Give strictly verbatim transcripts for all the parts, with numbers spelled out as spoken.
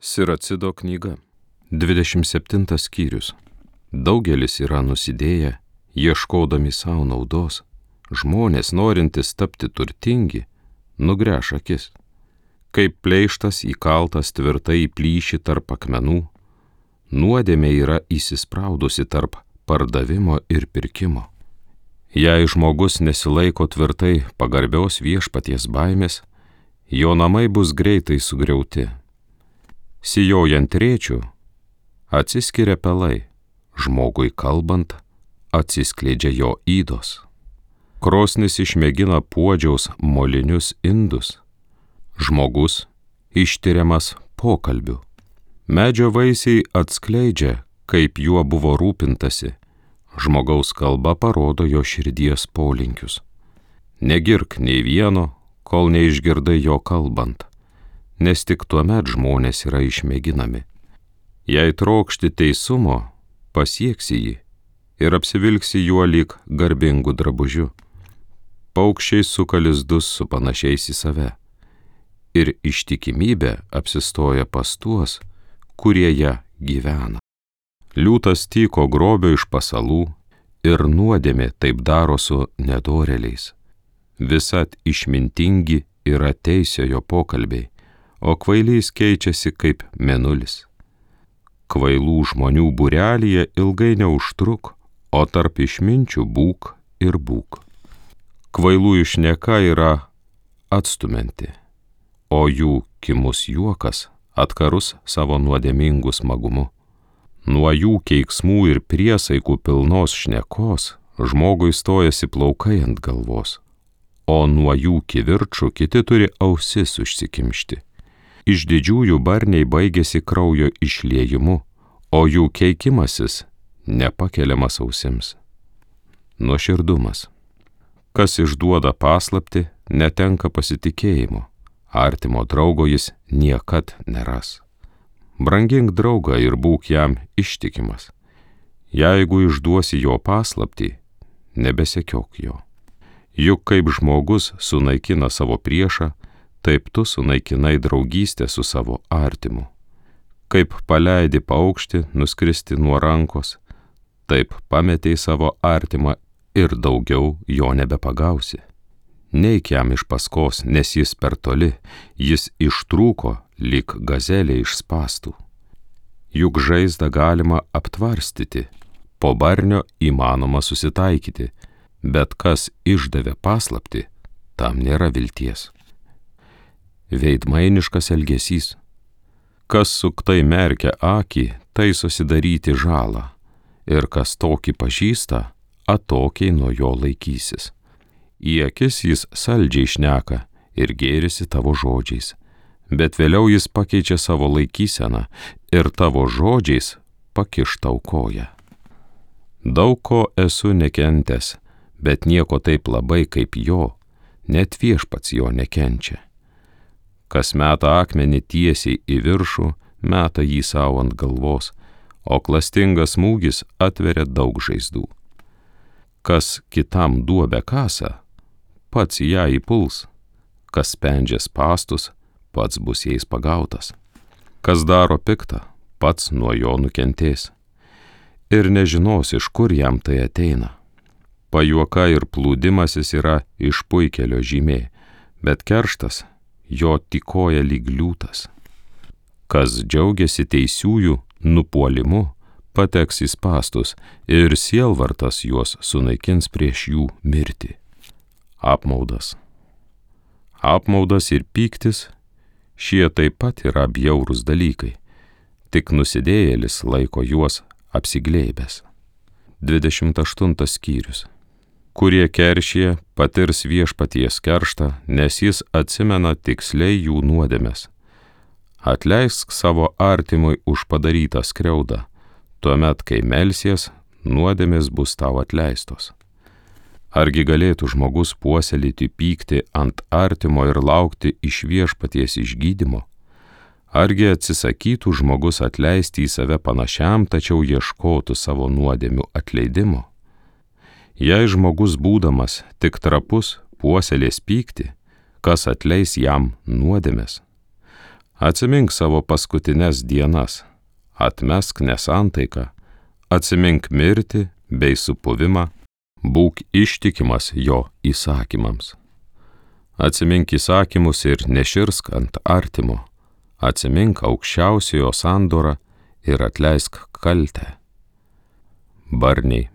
Siracido knyga. dvidešimt septintas skyrius. Daugelis yra nusidėję, ieškodami savo naudos. Žmonės, norintys tapti turtingi, nugręš akis. Kaip pleištas įkaltas tvirtai į plyšį tarp akmenų, nuodėmė yra įsispraudusi tarp pardavimo ir pirkimo. Jei žmogus nesilaiko tvirtai pagarbios viešpaties baimės, jo namai bus greitai sugriauti. Sijojant rėčių, atsiskiria pelai, žmogui kalbant, atsiskleidžia jo ydos. Krosnis išmėgina puodžiaus molinius indus, žmogus ištiriamas pokalbiu. Medžio vaisiai atskleidžia, kaip juo buvo rūpintasi, žmogaus kalba parodo jo širdies polinkius. Negirk nei vieno, kol neišgirdai jo kalbant, nes tik tuomet žmonės yra išmėginami. Jei trokšti teisumo, pasieksi jį ir apsivilksi juo lyg garbingu drabužiu. Paukščiai suka lizdus su panašiais į save, ir ištikimybė apsistoja pas tuos, kurie ją gyvena. Liūtas tyko grobio iš pasalų, ir nuodėmė taip daro su nedorėliais. Visad išmintingi yra teisiojo pokalbiai, o kvailys keičiasi kaip mėnulis. Kvailų žmonių būrelyje ilgai neužtruk, o tarp išminčių būk ir būk. Kvailųjų šneka yra atstumianti, o jų kimus juokas atkarus savo nuodėmingu smagumu. Nuo jų keiksmų ir priesaikų pilnos šnekos žmogui stojasi plaukai ant galvos, o nuo jų kivirčų kiti turi ausis užsikimšti. Iš didžiųjų barniai baigėsi kraujo išliejimu, o jų keikimasis nepakeliamas ausims. Nuoširdumas. Kas išduoda paslaptį, netenka pasitikėjimo, artimo draugo jis niekad neras. Brangink draugą ir būk jam ištikimas. Jeigu išduosi jo paslaptį, nebesekiok jo. Juk kaip žmogus sunaikina savo priešą, taip tu sunaikinai draugystę su savo artimu. Kaip paleidi paukštį nuskristi nuo rankos, taip pametei savo artimą ir daugiau jo nebepagausi. Neik jam iš paskos, nes jis per toli, jis ištrūko lyg gazelė iš spąstų. Juk žaizdą galima aptvarstyti, po barnio įmanoma susitaikyti, bet kas išdavė paslaptį, tam nėra vilties. Veidmainiškas elgesys. Kas suktai merkia akį, tai susidaryti žalą, ir kas tokį pažįsta, atokiai nuo jo laikysis. Į akis jis saldžiai šneka ir gėrisi tavo žodžiais, bet vėliau jis pakeičia savo laikyseną ir tavo žodžiais pakiš tau koją. Daug ko esu nekentęs, bet nieko taip labai kaip jo, net viešpats jo nekenčia. Kas meta akmenį tiesiai į viršų, meta jį savo ant galvos, o klastingas smūgis atveria daug žaizdų. Kas kitam duobę kasa, pats ją įpuls, kas spendžia spąstus, pats bus jais pagautas. Kas daro piktą, pats nuo jo nukentės, ir nežinos, iš kur jam tai ateina. Pajuoka ir plūdimasis yra išpuikelio žymė, bet kerštas jo tykoja lyg liūtas. Kas džiaugiasi teisiųjų nupuolimu, pateks į spąstus, ir sielvartas juos sunaikins prieš jų mirtį. Apmaudas. Apmaudas ir pyktis, šie taip pat yra bjaurūs dalykai, tik nusidėjėlis laiko juos apsiglėbęs. dvidešimt aštuntas skyrius. Kurie keršyje, patirs viešpaties kerštą, nes jis atsimena tiksliai jų nuodėmes. Atleisk savo artimui už padarytą skriaudą, tuomet, kai melsies, nuodėmės bus tau atleistos. Argi galėtų žmogus puoselėti pyktį ant artimo ir laukti iš viešpaties išgydymo? Argi atsisakytų žmogus atleisti į save panašiam, tačiau ieškotų savo nuodėmių atleidimo? Jei žmogus būdamas tik trapus puoselės pyktį, kas atleis jam nuodėmes? Atsimink savo paskutines dienas, atmesk nesantaiką, atsimink mirtį bei supuvimą, būk ištikimas jo įsakymams. Atsimink įsakymus ir neširsk ant artimo, atsimink aukščiausiojo sandorą ir atleisk kaltę. Barniai,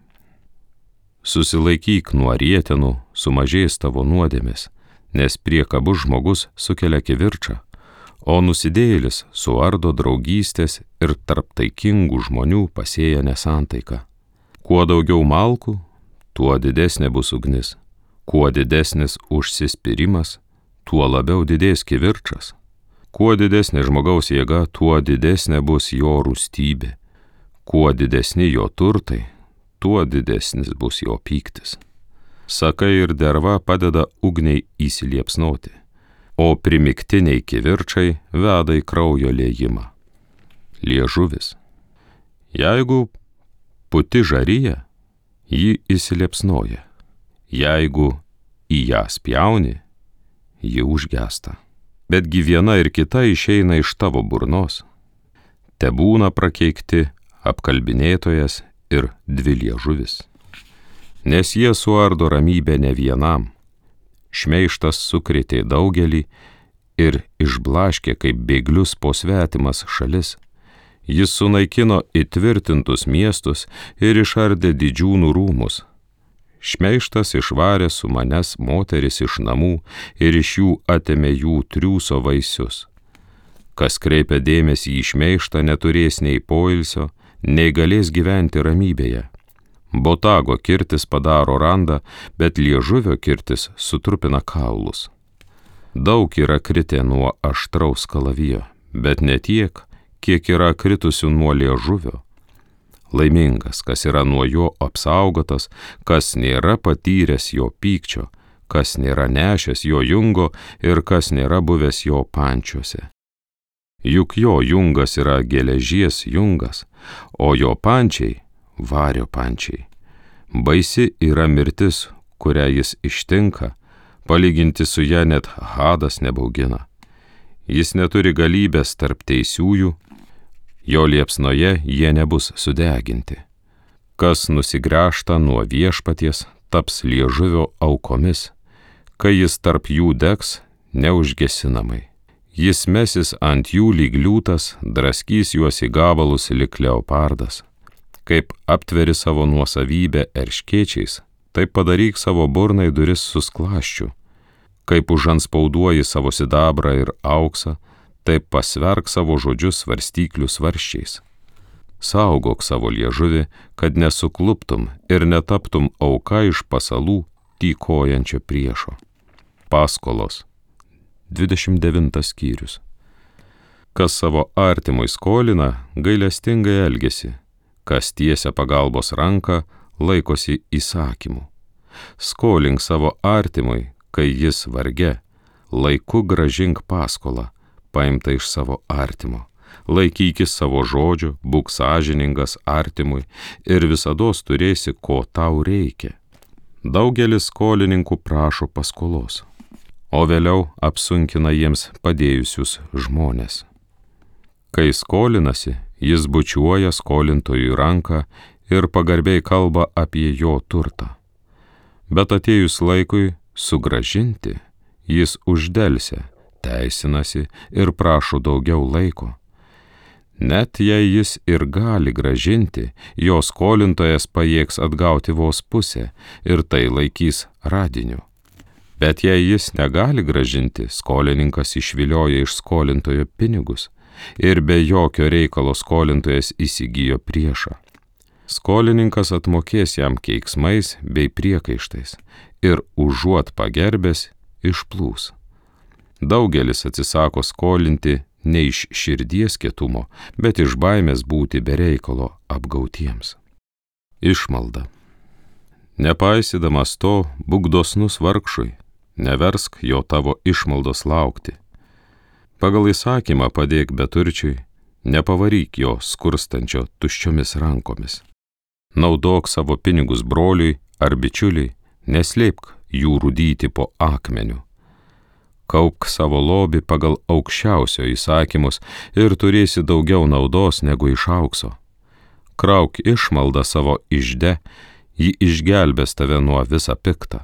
susilaikyk nuo rietenų, sumažės tavo nuodėmės, nes priekabus žmogus sukelia kivirčą, o nusidėjėlis suardo draugystės ir tarp taikingų žmonių pasėja nesantaiką. Kuo daugiau malkų, tuo didesnė bus ugnis, kuo didesnis užsispyrimas, tuo labiau didės kivirčas. Kuo didesnė žmogaus jėga, tuo didesnė bus jo rūstybė. Kuo didesni jo turtai, tuo didesnis bus jo pyktis. Sakai ir derva padeda ugniai įsiliepsnoti, o primiktiniai kivirčai veda į kraujo liejimą. Liežuvis. Jeigu puti žaryja, ji įsiliepsnoja. Jeigu į ją spjauni, ji užgesta. Betgi viena ir kita išeina iš tavo burnos. Tebūna prakeikti apkalbinėtojas ir dviliežuvis. Nes jie suardo ramybę ne vienam. Šmeižtas sukrėtė daugelį ir išblaškė kaip bėglius po svetimas šalis. Jis sunaikino įtvirtintus miestus ir išardė didžiūnų rūmus. Šmeižtas išvarė su manęs moteris iš namų ir iš jų atėmė jų triūso vaisius. Kas kreipia dėmesį į šmeižtą, neturės nei poilsio, nei galės gyventi ramybėje. Botago kirtis padaro randą, bet liežuvio kirtis sutrupina kaulus. Daug yra kritę nuo aštraus kalavijo, bet ne tiek, kiek yra kritusių nuo liežuvio. Laimingas, kas yra nuo jo apsaugotas, kas nėra patyręs jo pykčio, kas nėra nešęs jo jungo ir kas nėra buvęs jo pančiuose. Juk jo jungas yra geležies jungas, o jo pančiai vario pančiai. Baisi yra mirtis, kurią jis ištinka, palyginti su ja net hadas nebaugina. Jis neturi galybės tarp teisiųjų, jo liepsnoje jie nebus sudeginti. Kas nusigręžta nuo viešpaties, taps liežuvio aukomis, kai jis tarp jų degs neužgesinamai. Jis mesis ant jų lyg liūtas, draskys juos į gabalus lyg leopardas. Kaip aptveri savo nuosavybę erškėčiais, taip padaryk savo burnai duris susklaščių. Kaip užanspauduoji savo sidabrą ir auksą, taip pasverk savo žodžius svarstyklių svarščiais. Saugok savo liežuvį, kad nesukluptum ir netaptum auka iš pasalų tykojančio priešo. Paskolos. dvidešimt devintas skyrius. Kas savo artimui skolina, gailestingai elgiasi, kas tiesia pagalbos ranką, laikosi įsakymų. Skolink savo artimui, kai jis varge, laiku grąžink paskolą, paimta iš savo artimo. Laikykis savo žodžių, būk sąžiningas artimui ir visados turėsi, ko tau reikia. Daugelis skolininkų prašo paskolos, o vėliau apsunkina jiems padėjusius žmones. Kai skolinasi, jis bučiuoja skolintojui ranką ir pagarbiai kalba apie jo turtą. Bet atėjus laikui sugrąžinti, jis uždelsia, teisinasi ir prašo daugiau laiko. Net jei jis ir gali grąžinti, jo skolintojas pajėgs atgauti vos pusę ir tai laikys radiniu. Bet jei jis negali grąžinti, skolininkas išvilioja iš skolintojo pinigus ir be jokio reikalo skolintojas įsigijo priešą. Skolininkas atmokės jam keiksmais bei priekaištais ir užuot pagerbęs išplūs. Daugelis atsisako skolinti ne iš širdies kietumo, bet iš baimės būti be reikalo apgautiems. Išmalda. Nepaisydamas to, būk dosnus vargšui, neversk jo tavo išmaldos laukti. Pagal įsakymą padėk beturčiui, nepavaryk jo skurstančio tuščiomis rankomis. Naudok savo pinigus broliui ar bičiuliui, neslėpk jų rūdyti po akmeniu. Kaupk savo lobį pagal aukščiausio įsakymus ir turėsi daugiau naudos negu iš aukso. Krauk išmaldą savo ižde, ji išgelbės tave nuo visą piktą.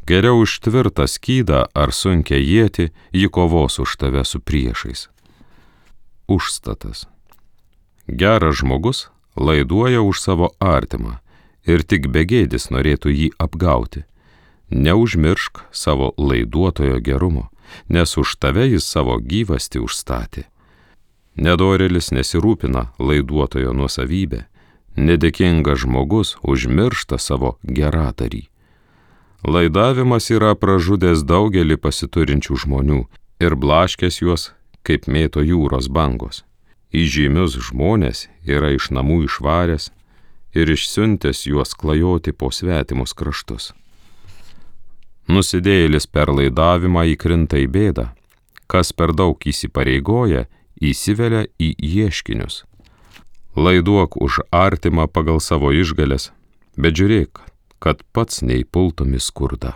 Geriau už tvirtą skydą ar sunkią ietį, ji kovos už tave su priešais. Užstatas. Geras žmogus laiduoja už savo artimą ir tik begėdis norėtų jį apgauti. Neužmiršk savo laiduotojo gerumo, nes už tave jis savo gyvastį užstatė. Nedorėlis nesirūpina laiduotojo nuosavybę, nedėkingas žmogus užmiršta savo geradarį. Laidavimas yra pražudęs daugelį pasiturinčių žmonių ir blaškęs juos, kaip mėto jūros bangos. Įžymius žmonės yra iš namų išvaręs ir išsiuntęs juos klajoti po svetimus kraštus. Nusidėjėlis per laidavimą įkrinta į bėdą, kas per daug įsipareigoja, įsivelia į ieškinius. Laiduok už artimą pagal savo išgales, bet žiūrėk, kad pats neįpultum į skurdą.